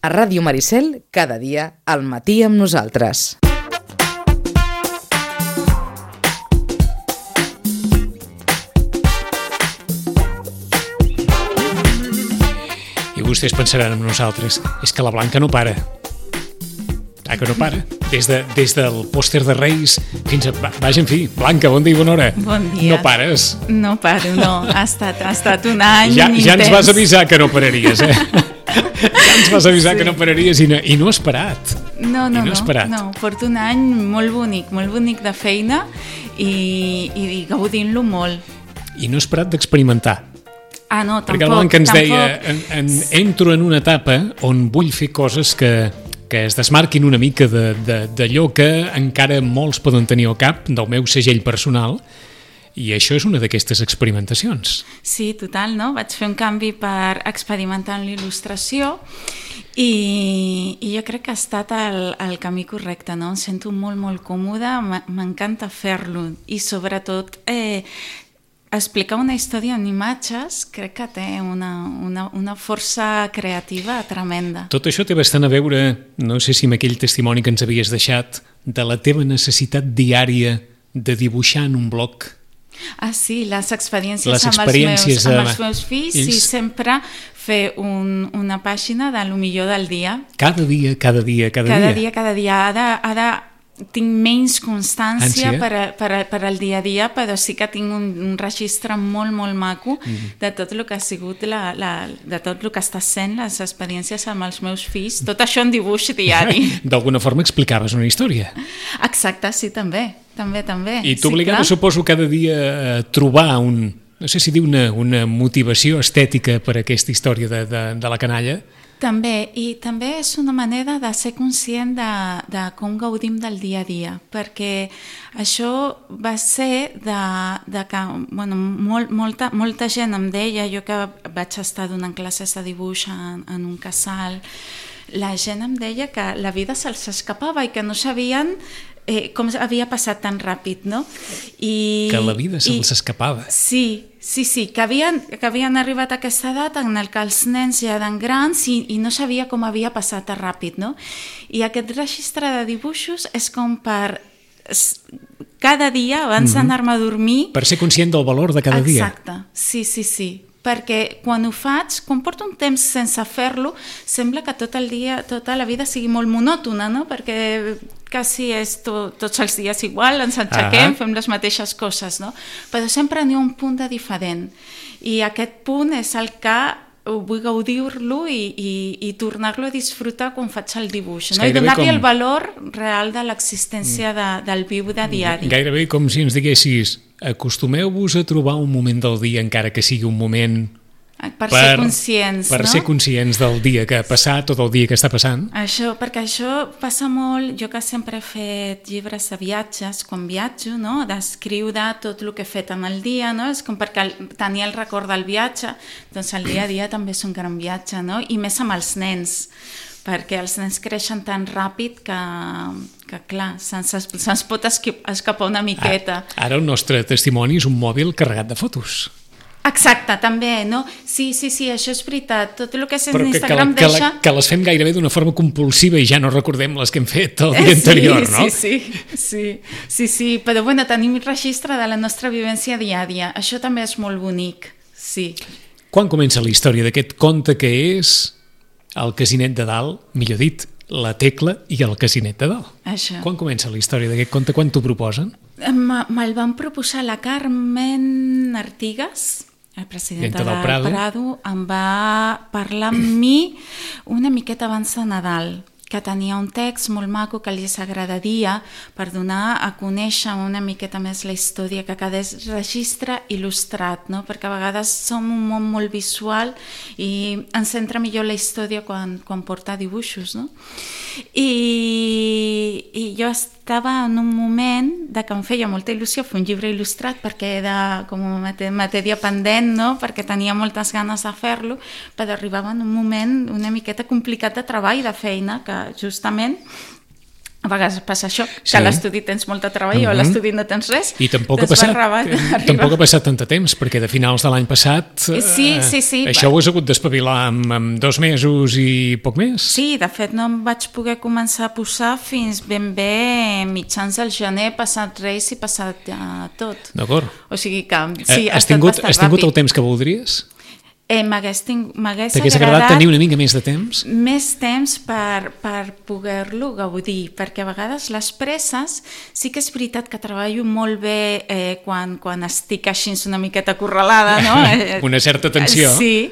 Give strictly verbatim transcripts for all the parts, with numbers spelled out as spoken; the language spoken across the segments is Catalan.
A Ràdio Maricel, cada dia, al matí amb nosaltres. I vostès pensaran amb nosaltres, és que la Blanca no para. Ah, que no para. Des, de, des del pòster de Reis fins a... Vaja, en fi, Blanca, bon dia i bona hora. Bon dia. No pares. No paro, no. Ha estat, ha estat un any ja, intens. Ja ens vas avisar que no pararies, eh? Ja ens vas avisar sí. que no pararies i no, i no has parat. No, no, no, no, parat. no. Porto un any molt bonic, molt bonic de feina i, i gaudint-lo molt. I no has parat d'experimentar. Ah, no, tampoc. Perquè la Blanca ens tampoc. deia, en, en, entro en una etapa on vull fer coses que, que es desmarquin una mica d'allò que encara molts poden tenir al cap, del meu segell personal, i això és una d'aquestes experimentacions. Sí, total, no? Vaig fer un canvi per experimentar en l'il·lustració i, i jo crec que ha estat el, el camí correcte, no? Em sento molt, molt còmoda, m'encanta fer-lo i sobretot eh, explicar una història en imatges crec que té una, una, una força creativa tremenda. Tot això té bastant a veure, no sé si amb aquell testimoni que ens havies deixat, de la teva necessitat diària de dibuixar en un bloc. Ah, sí, les experiències, les amb, experiències els meus, amb els meus fills ells... i sempre fer un, una pàgina de lo millor del dia. Cada dia, cada dia, cada, cada dia. dia, cada dia. Ara, ara tinc menys constància Ànsia. per, a, per, a, per al dia a dia, però sí que tinc un, un registre molt, molt maco mm. de tot el que ha sigut, la, la, de tot el que està sent les experiències amb els meus fills. Tot això en dibuix diari. D'alguna forma explicaves una història. Exacte, sí, també. També, també. I t'obligava, sí, suposo, cada dia a trobar un, no sé si dir una, una motivació estètica per a aquesta història de, de, de la canalla? També, i també és una manera de ser conscient de, de com gaudim del dia a dia, perquè això va ser de, de que bueno, molt, molta, molta gent em deia, jo que vaig estar donant classes de dibuix en, en un casal, la gent em deia que la vida se'ls escapava i que no sabien Eh, com havia passat tan ràpid, no? I, que la vida se'ls i, escapava. Sí, sí, sí, que havien, que havien arribat a aquesta edat en el que els nens ja eren grans i, i no sabia com havia passat tan ràpid, no? I aquest registre de dibuixos és com per cada dia, abans mm-hmm. d'anar-me a dormir... Per ser conscient del valor de cada Exacte. dia. Exacte, sí, sí, sí. Perquè quan ho faig, quan porto un temps sense fer-lo, sembla que tot el dia, tota la vida sigui molt monòtona, no? Perquè quasi és to, tots els dies igual, ens aixequem, uh-huh. fem les mateixes coses, no? Però sempre n'hi ha un punt de diferent. I aquest punt és el que vull gaudir-lo i, i, i tornar-lo a disfrutar quan faig el dibuix, no? I donar-li com... el valor real de l'existència de, del viu de diari. Gairebé com si ens diguessis, acostumeu-vos a trobar un moment del dia, encara que sigui un moment... Per, per ser conscients, per no? ser conscients del dia que ha passat o del dia que està passant. Això, perquè això passa molt, jo que sempre he fet llibres de viatges, quan viatjo, no? D'escriure tot el que he fet en el dia, no? És com perquè tenir el record del viatge, doncs el dia a dia també és un gran viatge, no? I més amb els nens, perquè els nens creixen tan ràpid que, que clar, se'ns, se'ns pot escapar una miqueta. Ara, ara el nostre testimoni és un mòbil carregat de fotos. Exacte, també, no? Sí, sí, sí, això és veritat. Tot el que és en Però que, Instagram que, la, deixa... que, la, que les fem gairebé d'una forma compulsiva i ja no recordem les que hem fet el dia sí, anterior, no? Sí, sí, sí, sí, sí, però bueno, tenim registre de la nostra vivència diària. Això també és molt bonic, sí. Quan comença la història d'aquest conte que és El Casinet de Dalt, millor dit, La Tecla i el Casinet de Dalt? Això. Quan comença la història d'aquest conte? Quan t'ho proposen? Me'l van proposar la Carmen Artigas, el president del Prado. Prado, em va parlar amb mi una miqueta abans de Nadal, que tenia un text molt maco que li agradaria per donar a conèixer una miqueta més la història, que quedés registre il·lustrat, no? Perquè a vegades som un món molt visual i ens centra millor la història quan, quan porta dibuixos, no? I, i jo estava en un moment de que em feia molta il·lusió fer un llibre il·lustrat perquè era com una matèria pendent, no? Perquè tenia moltes ganes de fer-lo, però arribava en un moment una miqueta complicat de treball, de feina, que justament A vegades passa això, que Sí. a l'estudi tens molt de treball o a Mhm. l'estudi no tens res. I tampoc ha, doncs va passat, arribar- eh, arribar- tampoc ha passat tant de temps, perquè de finals de l'any passat eh, Sí, sí, sí. això ho has hagut d'espavilar amb, amb dos mesos i poc més. Sí, de fet no em vaig poder començar a posar fins ben bé mitjans del gener, passat Reis i passat uh, tot. D'acord. O sigui que sí, Eh, ha has estat tingut, bastant has tingut ràpid. el temps que voldries? Eh, M'hagués ting- m'hagués T'hagués agradat tenir una mica més de temps? més temps per, per poder-lo gaudir, perquè a vegades les presses, sí que és veritat que treballo molt bé eh, quan, quan estic així una miqueta acorralada, no? Eh, Una certa tensió. Sí,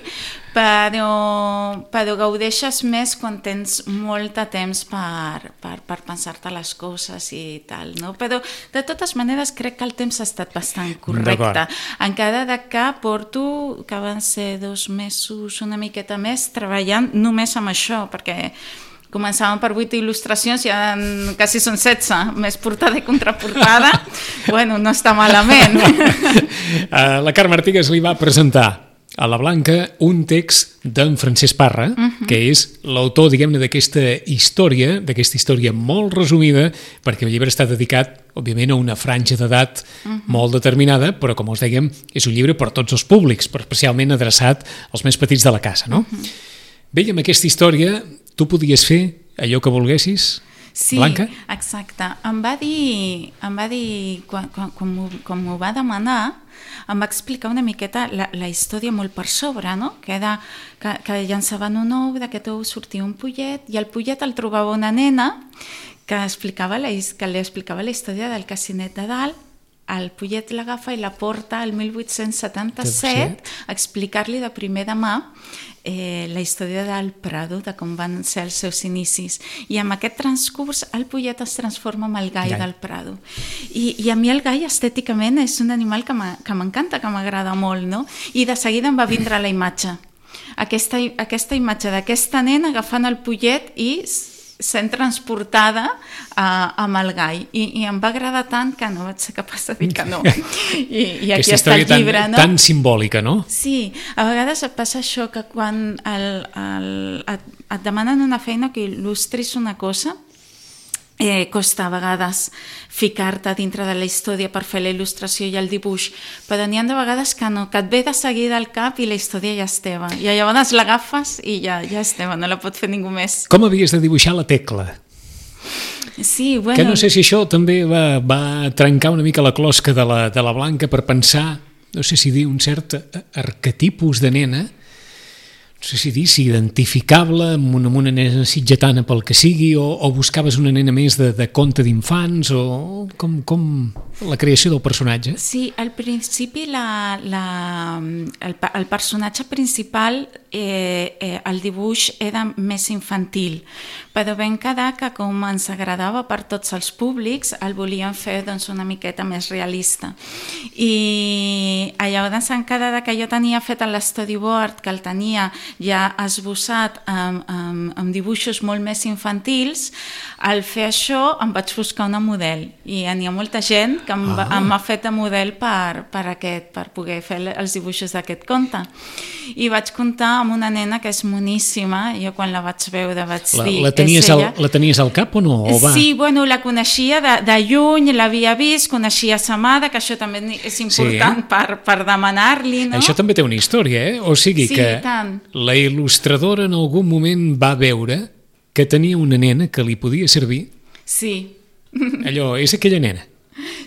però, però gaudeixes més quan tens molt de temps per, per, per pensar-te les coses i tal, no? Però de totes maneres crec que el temps ha estat bastant correcte. D'acord. Encara de que porto, que van ser dos mesos, una miqueta més, treballant només amb això, perquè començàvem per vuit il·lustracions i ara quasi són setze, més portada i contraportada. Bueno, no està malament. Uh, la Carme Artigas li va presentar a la Blanca un text d'en Francesc Parra, uh-huh. que és l'autor, diguem-ne, d'aquesta història, d'aquesta història molt resumida, perquè el llibre està dedicat, òbviament, a una franja d'edat uh-huh. molt determinada, però, com us dèiem, és un llibre per tots els públics, però especialment adreçat als més petits de la casa, no? Uh-huh. Bé, amb aquesta història, tu podies fer allò que volguessis, Sí, Blanca? exacte. Em va dir, em va dir quan, quan, quan, m'ho, quan m'ho va demanar, em va explicar una miqueta la, la història molt per sobre, no? Que, era, que, que llançaven un ou, d'aquest ou sortia un pollet, i el pollet el trobava una nena que, explicava la, que li explicava la història del Casinet de Dalt. El pollet l'agafa i la porta al mil vuit-cents setanta-set a explicar-li de primera mà eh, la història del Prado, de com van ser els seus inicis. I amb aquest transcurs el pollet es transforma en el gai, gai. del Prado. I, I a mi el gai estèticament és un animal que m'encanta, que m'agrada molt, no? I de seguida em va vindre la imatge. Aquesta, aquesta imatge d'aquesta nena agafant el pollet i sent transportada uh, amb el gai. I, I em va agradar tant que no vaig ser capaç de dir que no. I, i aquí està el llibre, tan, no? tan simbòlica, no? Sí, a vegades et passa això, que quan el, el, et, et demanen una feina que il·lustris una cosa, Eh, costa a vegades ficar-te dintre de la història per fer la il·lustració i el dibuix, però n'hi ha de vegades que no, que et ve de seguida al cap i la història ja és teva, i llavors l'agafes i ja, ja és teva, no la pot fer ningú més. Com havies de dibuixar la Tecla? Sí, bueno... Que no sé si això també va, va trencar una mica la closca de la, de la Blanca per pensar, no sé si dir un cert arquetipus de nena, no sé si dir, si identificable amb una, amb una nena sitgetana pel que sigui, o, o buscaves una nena més de, de conte d'infants, o com, com la creació del personatge? Sí, al principi la, la, el, el personatge principal, eh, eh, el dibuix era més infantil, però vam quedar que com ens agradava per tots els públics, el volíem fer doncs, una miqueta més realista. I llavors en quedar que jo tenia fet l'storyboard, que el tenia ja esbossat amb, amb, amb dibuixos molt més infantils, al fer això em vaig buscar una model i hi ha molta gent que em, ah. em ha fet de model per, per, aquest, per poder fer els dibuixos d'aquest conte. I vaig comptar amb una nena que és moníssima, jo quan la vaig veure vaig la, dir... La tenies, al, la tenies al cap o no? O va? Sí, bueno, la coneixia de, de lluny, l'havia vist, coneixia sa mare, que això també és important sí. per, per demanar-li, no? Això també té una història, eh? O sigui sí, que tant. La il·lustradora en algun moment va veure que tenia una nena que li podia servir. Sí. Allò, és aquella nena.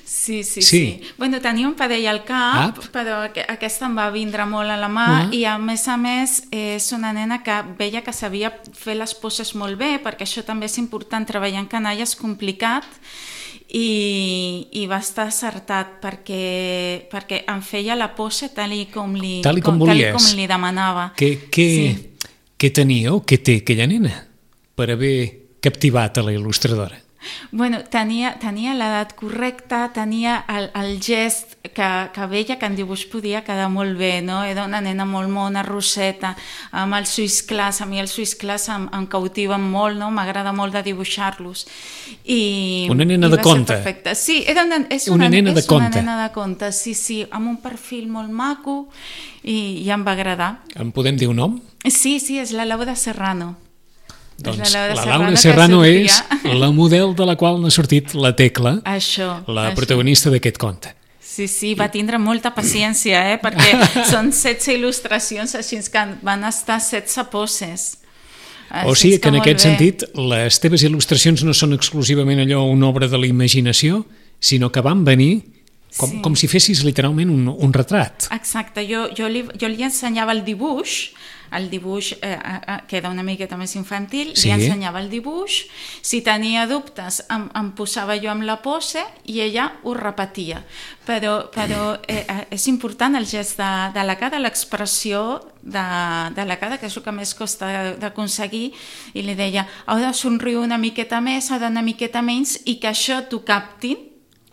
Sí, sí, sí, sí. sí. Bueno, tenia un parell al cap, ah. però aquesta em va vindre molt a la mà ah. i a més a més és una nena que veia que sabia fer les poses molt bé, perquè això també és important, treballar en canalla és complicat i, i va estar acertat perquè, perquè em feia la pose tal i com li, tal i com, com, tal i com li demanava. Què, què, sí. què tenia o què té aquella nena per haver captivat a la il·lustradora? Bueno, tenia, tenia l'edat correcta, tenia el, el gest que, que veia que en dibuix podia quedar molt bé, no? Era una nena molt mona, rosseta, amb els ulls clars. A mi els ulls clars em, em cautiven molt, no? M'agrada molt de dibuixar-los. I, una nena i de conte. Sí, era una, és una, una, nena, és de una conte. nena de conte, sí, sí, amb un perfil molt maco i, i em va agradar. En podem dir un nom? Sí, sí, és la Laura Serrano. Doncs la Laura la Serrano, Laura que Serrano és sortia. la model de la qual n'ha sortit la Tecla, Això, la això. protagonista d'aquest conte. Sí, sí, va tindre molta paciència, eh? Perquè són setze il·lustracions, així que van estar setze poses. O sigui que en molt aquest bé. sentit les teves il·lustracions no són exclusivament allò una obra de la imaginació, sinó que van venir com, Sí. com si fessis literalment un, un retrat. Exacte, jo, jo, li, jo li ensenyava el dibuix, el dibuix eh, eh, queda una miqueta més infantil, Sí. li ensenyava el dibuix, si tenia dubtes em, em posava jo amb la pose i ella ho repetia. Però, però eh, eh, és important el gest de, de la cara, l'expressió de, de la cara, que és el que més costa d'aconseguir, i li deia, heu de somriure una miqueta més, heu d'anar una miqueta menys, i que això t'ho captin.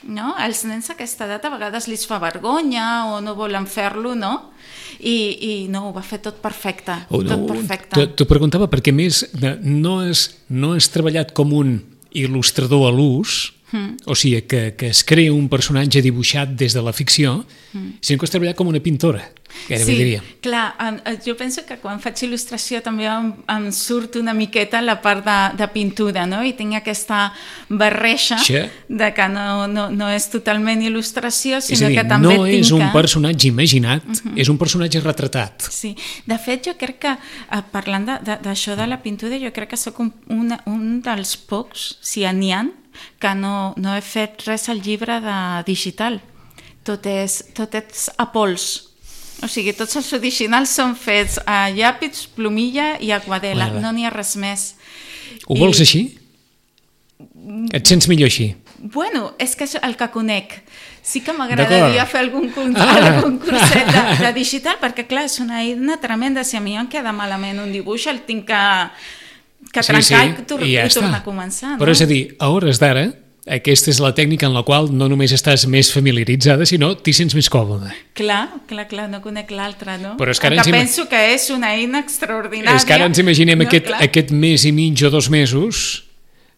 No? Als nens a aquesta edat a vegades li fa vergonya o no volen fer-lo, no? I, i no, ho va fer tot perfecte, Oh, no, tot perfecte. T'ho preguntava perquè més de- no has, no has treballat com un il·lustrador a l'ús, mm. o sigui, que, que es crea un personatge dibuixat des de la ficció, mm. sinó que has treballat com una pintora, gairebé Sí, diria. clar, en- en- jo penso que quan faig il·lustració també em, em surt una miqueta la part de, de pintura, no? I tinc aquesta barreja Sí. de que no, no, no és totalment il·lustració, És sinó a dir, que també no tinc és un que... personatge imaginat, uh-huh. és un personatge retratat. Sí, de fet jo crec que eh, parlant de- de- d'això de, de la pintura, jo crec que sóc un, una, un dels pocs, si n'hi ha, que no, no he fet res al llibre de digital. Tot és, tot és a pols. O sigui, tots els originals són fets a llapis, plomilla i aquarela, Vale. no n'hi ha res més. Ho I- vols així? Et sents millor així? Bueno, és que és el que conec. Sí que D'acord. m'agradaria fer algun, curs, Ah. algun curset de, de digital, perquè clar, és una eina tremenda. Si a mi em queda malament un dibuix, el tinc que, que trencar i, tor i ja i tornar està. a començar. Però no? és a dir, a hores d'ara, aquesta és la tècnica en la qual no només estàs més familiaritzada, sinó t'hi sents més còmode. Clar, clar, clar, no conec l'altre, no? Però és que ara que ens ima- penso que és una eina extraordinària. És que ara ens imaginem no, aquest, clar. aquest mes i mig o dos mesos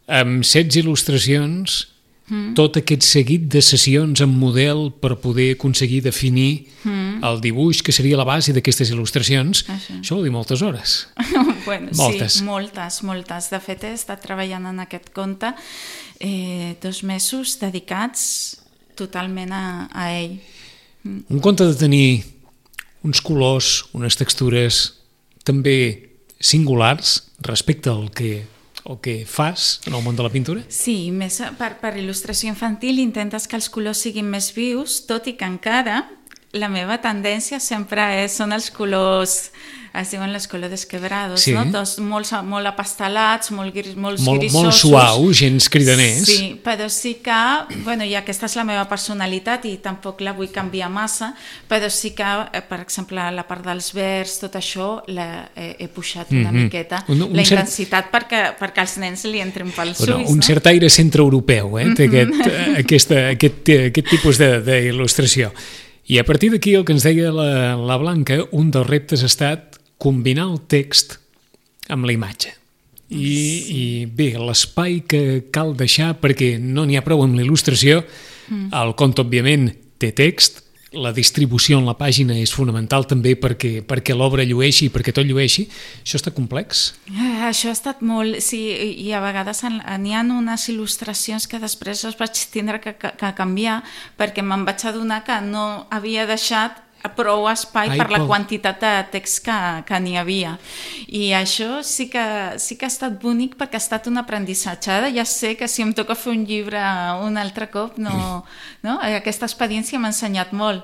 amb setze il·lustracions, mm. tot aquest seguit de sessions en model per poder aconseguir definir mm. el dibuix que seria la base d'aquestes il·lustracions. Ah, sí. Això vol dir moltes hores. Bueno, Moltes. sí, moltes, moltes. De fet, he estat treballant en aquest conte eh, dos mesos dedicats totalment a, a ell. Un conte de tenir uns colors, unes textures també singulars respecte al que, el que fas en el món de la pintura? Sí, més per, per il·lustració infantil intentes que els colors siguin més vius, tot i que encara la meva tendència sempre és, són els colors, es diuen los colores quebrados, Sí. no? Tots molt, molt apastelats, molt, gris, molts Molt, grisosos. molt suau, gens cridaners. Sí, però sí que, bueno, i aquesta és la meva personalitat i tampoc la vull canviar massa, però sí que, eh, per exemple, la part dels verds, tot això, la, he, he pujat una Mhm. miqueta, Un- un la cert- intensitat perquè, perquè els nens li entrin pels Bueno, ulls, un no? cert aire centreeuropeu, eh, té aquest, eh, aquesta, aquest, eh, aquest tipus de- d'il·lustració. I a partir d'aquí, el que ens deia la, la Blanca, un dels reptes ha estat combinar el text amb la imatge. I, sí. i bé, l'espai que cal deixar, perquè no n'hi ha prou amb la il·lustració, mm. el conte, òbviament, té text, la distribució en la pàgina és fonamental també perquè, perquè l'obra llueixi i perquè tot llueixi. Això està complex? Eh, Això ha estat molt... Sí, i a vegades en- n'hi ha unes il·lustracions que després les vaig tindre que, que, que canviar perquè me'n vaig adonar que no havia deixat prou espai Ai, per la Pol. quantitat de text que, que n'hi havia. I això sí que, sí que ha estat bonic perquè ha estat un aprenentatge. Ara ja sé que si em toca fer un llibre un altre cop, no, no? Aquesta experiència m'ha ensenyat molt.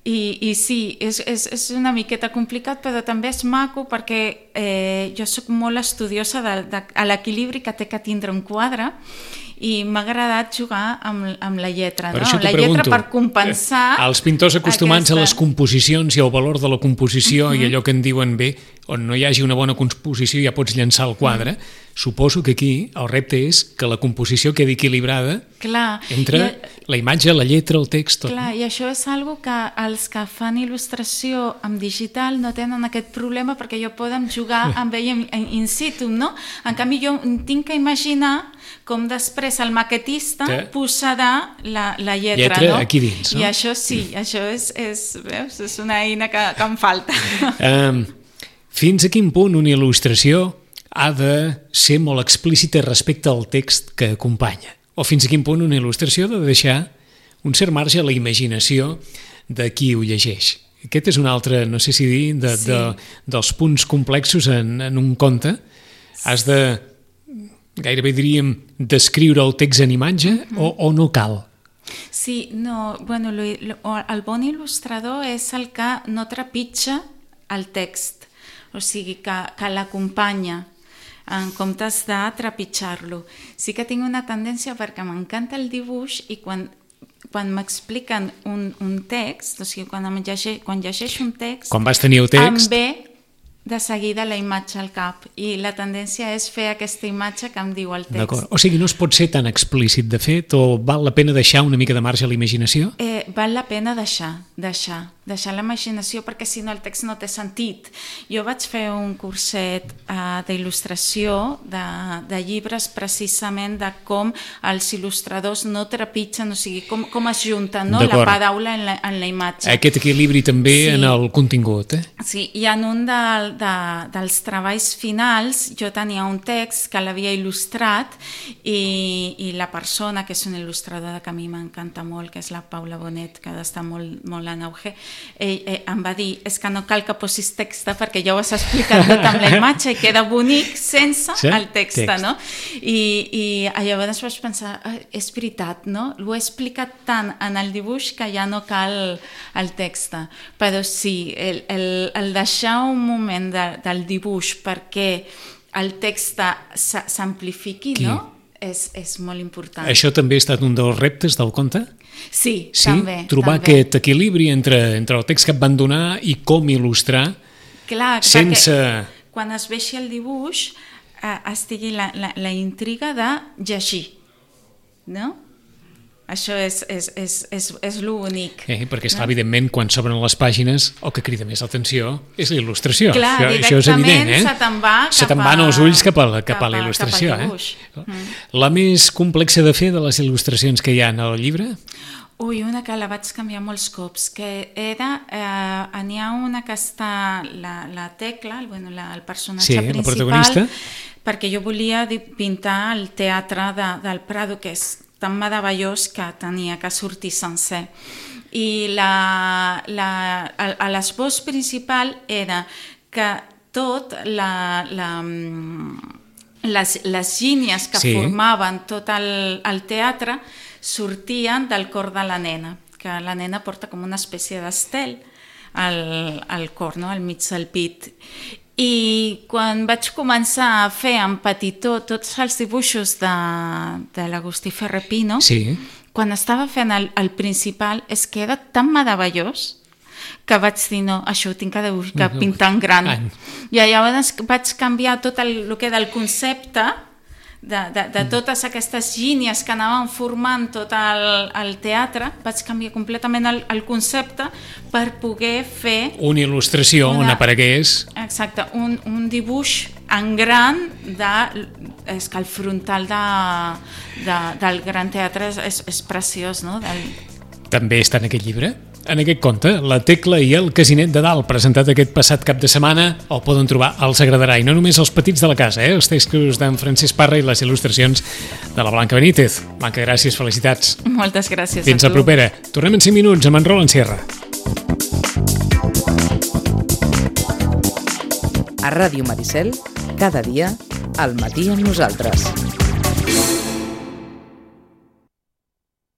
I, i sí, és, és, és una miqueta complicat, però també és maco perquè eh, jo sóc molt estudiosa de, de, a l'equilibri que té que tindre un quadre i m'ha agradat jugar amb, amb la lletra, Per no? això Amb t'ho la lletra pregunto. per compensar... Els pintors acostumats aquesta... a les composicions i al valor de la composició Mhm. i allò que en diuen bé, on no hi hagi una bona composició ja pots llançar el quadre, Mhm. suposo que aquí el repte és que la composició quedi equilibrada Clar, entre i, la imatge, la lletra, el text, tot. clar, i això és algo que els que fan il·lustració en digital no tenen aquest problema perquè jo poden jugar amb ell in, in situ, no? En canvi jo tinc que imaginar com després el maquetista Que- posarà la, la lletra, Lletra no? aquí dins, no? I això sí, això és, és, veus, és una eina que, que em falta. Um, fins a quin punt una il·lustració ha de ser molt explícita respecte al text que acompanya. O fins a quin punt una il·lustració ha de deixar un cert marge a la imaginació de qui ho llegeix. Aquest és un altre, no sé si dir, de, sí. de, dels punts complexos en, en un conte. Has de, gairebé diríem, descriure el text en imatge uh-huh. o, o no cal? Sí, no, bueno, lo, lo, el bon il·lustrador és el que no trepitja el text, o sigui, que, que l'acompanya en comptes de trepitjar-lo. Sí que tinc una tendència perquè m'encanta el dibuix i quan, quan m'expliquen un, un text, o sigui, quan, llegeix, quan llegeixo un text, quan vas tenir el text, em ve de seguida la imatge al cap i la tendència és fer aquesta imatge que em diu el text. D'acord. O sigui, no es pot ser tan explícit, de fet, o val la pena deixar una mica de marge a la imaginació? Eh, val la pena deixar, deixar, deixar la imaginació perquè si no el text no té sentit. Jo vaig fer un curset uh, d'il·lustració de, de llibres precisament de com els il·lustradors no trepitgen, o sigui, com, com es junten no? la paraula en la, en la imatge. Aquest equilibri també sí. en el contingut, eh? Sí, i en un del De, dels treballs finals jo tenia un text que l'havia il·lustrat i, i la persona, que és una il·lustradora que a mi m'encanta molt, que és la Paula Bonet, que ha d'estar molt, molt en auge, ell, ell em va dir, és que no cal que posis text perquè ja ho has explicat tot amb la imatge i queda bonic sense sí? el text, text. No? I, i llavors vaig pensar, és veritat, no? Ho he explicat tant en el dibuix que ja no cal el text, però sí, el, el, el deixar un moment De, del dibuix perquè el text s'amplifiqui, no? És, és molt important. Això també ha estat un dels reptes del conte? Sí, sí? també. Trobar també. aquest equilibri entre, entre el text que et van donar i com il·lustrar. Clar, sense... quan es vegi el dibuix eh, estigui la, la, la intriga de llegir, no? Això és, és, és, és, és l'únic. Eh, perquè, esclar, no? Evidentment, quan s'obren les pàgines, el que crida més l'atenció és la il·lustració. Clar, això, això és evident, eh? se te'n va se te'n van els ulls cap a, cap cap a la il·lustració. Eh? Mm. La més complexa de fer de les il·lustracions que hi ha en el llibre? Ui, una que la vaig canviar molts cops, que era, eh, n'hi ha una que està la, la Tecla, el, bueno, la, el personatge sí, principal, la protagonista. Perquè jo volia pintar el teatre de, del Prado, que és tan meravellós que tenia que sortir sencer. I la, la, a l'esbós principal era que tot la, la, les, les línies que sí. formaven tot el, el teatre sortien del cor de la nena, que la nena porta com una espècie d'estel al, al cor, no? Al mig del pit. I quan vaig començar a fer en petitó tots els dibuixos de, de l'Agustí Ferrer Pino, sí. quan estava fent el, el principal, és que era tan meravellós que vaig dir, no, això ho tinc que, dibuix, que pintar en gran. I llavors vaig canviar tot el, el que era el concepte de, de, de totes aquestes línies que anaven formant tot el, el teatre, vaig canviar completament el, el concepte per poder fer... Una il·lustració una, on aparegués... Exacte, un, un dibuix en gran de... És que el frontal de, de, del Gran Teatre és, és, és preciós, no? Del... També està en aquest llibre? En aquest conte, La Tecla i el Casinet de Dalt, presentat aquest passat cap de setmana, el poden trobar, els agradarà, i no només els petits de la casa, eh? Els textos d'en Francesc Parra i les il·lustracions de la Blanca Benítez. Blanca, gràcies, felicitats. Moltes gràcies. Fins a tu. La propera. Tornem en cinc minuts amb en Roland Sierra. A Ràdio Maricel, cada dia, al matí amb nosaltres.